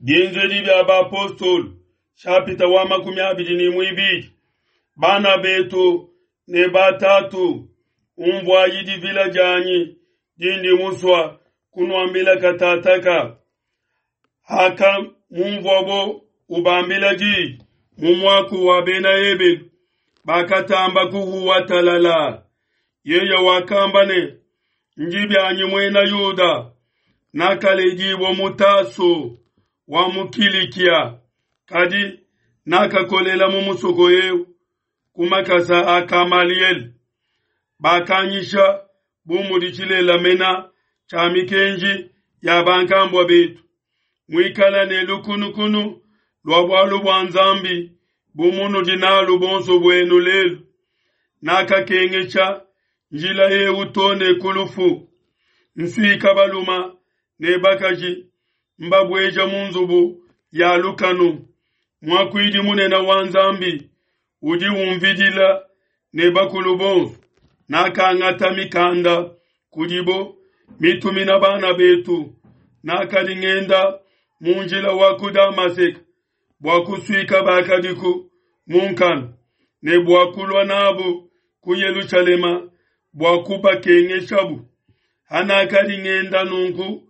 Bienzedi bia Bapostolo, shapita wa 21. Bana betu ne batatu, umvuayi divila dianyi dindi musua kunuambila katataka. Hakamumvuabo ubambila di mu muaku wa Bena Ebelu, bakatamba kuhuwa talala. Yeye wakamba ne, Ndi bianyi muena Yuda, nakaledibua mu Taso wa mu Kilikia, kadi nakakolela mu musoko eu ku makasa a Kamaliele. Bakanyisha bu mudi tshilela mena tshia mikenji ya bankambua betu, muikala ne lukunukunu lua bualu bua Nzambi bu munudi nalu bonso buenu lelu. Nakakengesha njila eu to ne ku lufu, nsuika baluma ne bakaji, mbabueja mu nzubu ya lukanu. Muakuidi munene wa Nzambi udi umvidila ne bakulu bonso. Nakangata mikanda kudibo mitumina bana betu. Nakadi ngenda mu njila wa ku Damaseke bua kusuika bakadiku mu nkanu ne bua kulua nabu ku Yelushalema bua kubakengeshabu. Hanakadi ngenda nunku,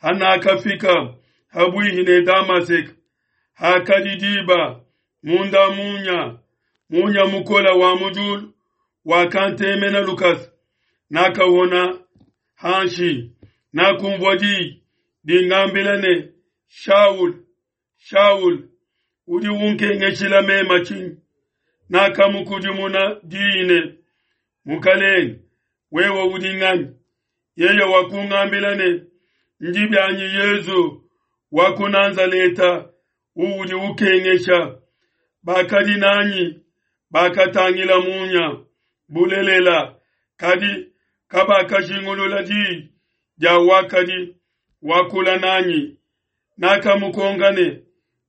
hanakafika habuihi ne Damaseke, hakadi diba munda munya, munya mukola wa mu diulu wakantemena lukasa. Nakahona hanshi, nakunvua di dingambila ne, Shaul, Shaul, udi unkengeshila mema tshinyi? Nakamukudimuna diyi ne, Mukalenge, wewe udi nganyi? Yeye wakungambila ne, Ndi bianyi Yezu wa ku Nazaleta uudi ukengesha. Bakadi nanyi bakatangila munya bulelela, kadi kabakajingulula diyi dia wakadi wakula nanyi. Nakamukonka ne,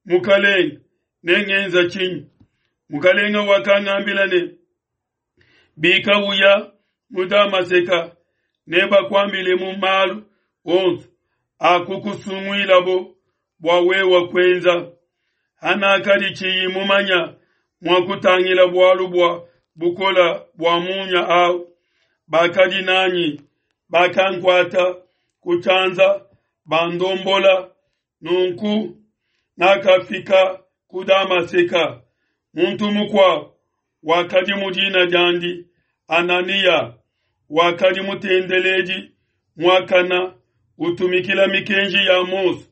Mukalenge, nengenza tshinyi? Mukalenge wakangambila ne, Bika uya mu Damaseka, nebakuambilemu malu onso akukusunguilabo bua wewe kuenza. Hanakadi tshiyi mumanya mua kutangila bualu bua bukola bua munya au, bakadi nanyi bakankuata ku tshianza bandombola. Nunku nakafika ku Damaseka. Muntu mukuabo wakadi mu dina diandi Ananiya, wakadi mutendeledi muakana utumikila mikenji ya Mose.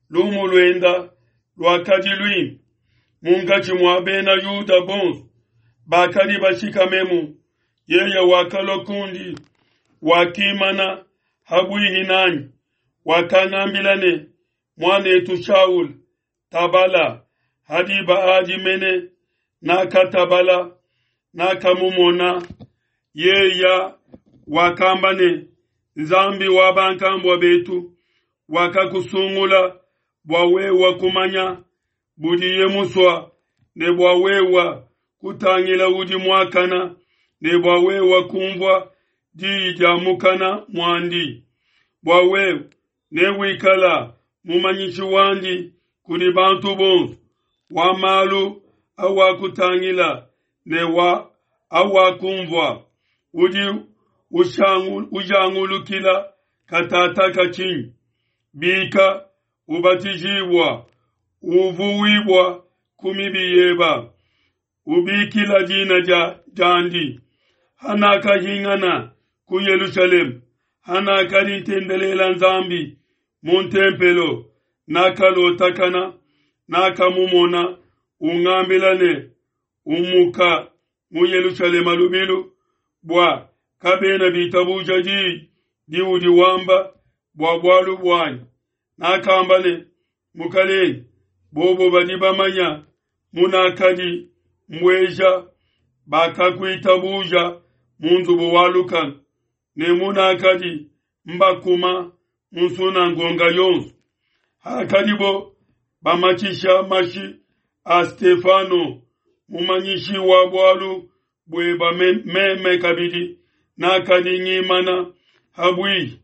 Lumu luenda luakadi luimpe munkatshi mua Bena Yuda bonso bakadi bashikamemu. Yeye wakalua kundi, wakimana habuihi nanyi, wakangambila ne, Muanetu Shaul, tabala. Ha diba adi mene nakatabala, nakamumona. Yeye wakamba ne, Nzambi wa bankambua betu wakakusungula bua wewe kumanya budiye musua ne bua wewe kutangila udi muakana ne bua wewe kumvua diyi dia mukana muandi, bua wewe newikala mumanyishi wandi kudi bantu bonso wa malu awakutangila ne wa awakumvua. Udi ujangulukila katataka tshinyi? Bika, ubatijibua, uvuwibua ku mibi yeba, ubikila dina dia diandi. Hanakahingana ku Yelushalema, hanakadi ntendelela Nzambi mu ntempelo, nakalotakana, nakamumona ungambila ne, Umuka mu Yelushalema lubilu, bua kabena bitabuja diyi diudi wamba bua bualu buanyi. Nakamba ne, Mukalenge, bobo badi bamanya munakadi mbueja bakakuitabuja mu nzubu wa lukanu, ne munakadi mbakuma mu nsunangonga yonso. Hakadibo bamatshisha mashi a Stefano, mumanyishi wa bualu bueba meme kabidi nakadi ngimana habuihi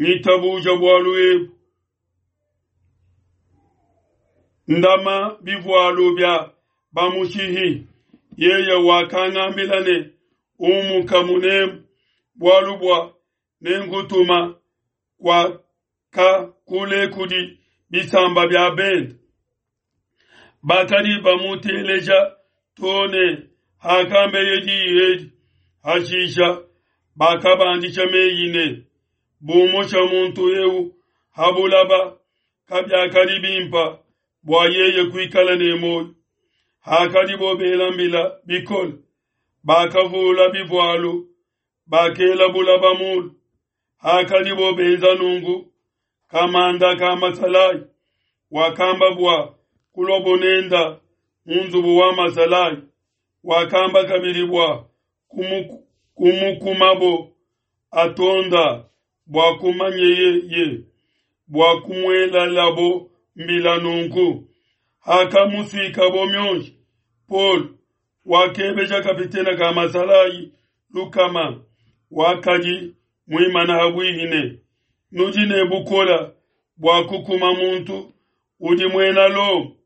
ngitabuja bualu ebu. Ndama bivualu bia bamushihi. Yeye wakangambila ne, Umuka munemu, bualu bua nenkutuma kuaka kule kudi bisamba bia bende. Bakadi bamuteleja to ne hakambeye diyi edi. Hashisha bakabandisha meyi ne, Bumusha muntu eu ha bulaba, kabiakadi bimpa bua yeye kuikala ne muoyo. Hakadibo bela mbila bikole, bakavula bivualu, bakela bulaba mulu. Hakadibo benza nunku, kamanda ka masalayi wakamba bua kuluabo nenda mu nzubu wa masalayi, wakamba kabidi bua kumukumabo atonda bua kumanyeye ye bua kumuelalabo mbila nunku. Hakamusuikabo mionji, Paul wakebeja kapitene ka masalayi lukama wakadi muimana habuihi ne, Nudi ne bukole bua kukuma muntu udi muena Lomo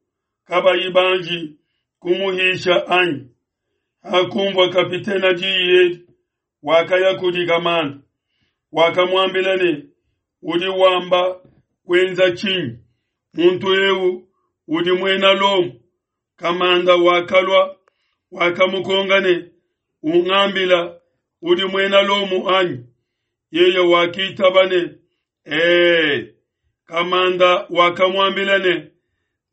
kabayi banji kumuhisha anyi? Hakunvua kapitene diyi edi, wakaya kudi kamanda, wakamuambila ne, Udi wamba kuenza tshinyi? Muntu eu udi muena Lomo. Kamanda wakalua, wakamukonka ne, Ungambila, udi muena Lomo anyi? Yeye wakitaba ne, Ee. Kamanda wakamuambila ne,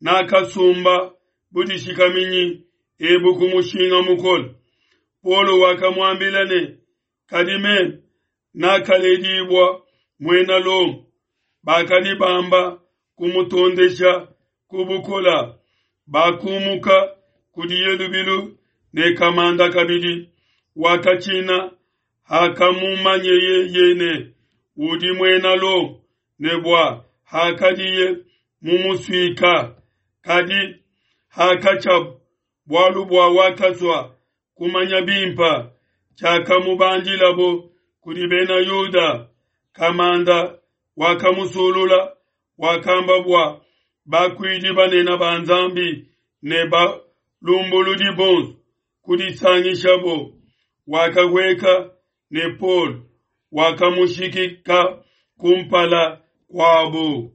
Nakasumba budishikaminyi ebu ku mushinga mukole. Paulo wakamuambila ne, Kadi meme nakaledibua muena Lomo. Bakadi bamba kumutondesha ku bukola, bakumuka kudiye lubilu ne kamanda kabidi wakatshina hakamumanyeye ye ne udi muena Lomo ne bua hakadiye mumusuika. Kadi hakatshiabu, bualu bua wakasua kumanya bimpe tshiakamubandilabo kudi Bena Yuda, kamanda wakamusulula, wakamba bua bakuidi banene ba Nzambi ne balumbuludi bonso kudisangishabo. Wakahueka ne Paulo, wakamushikika kumpala kuabo.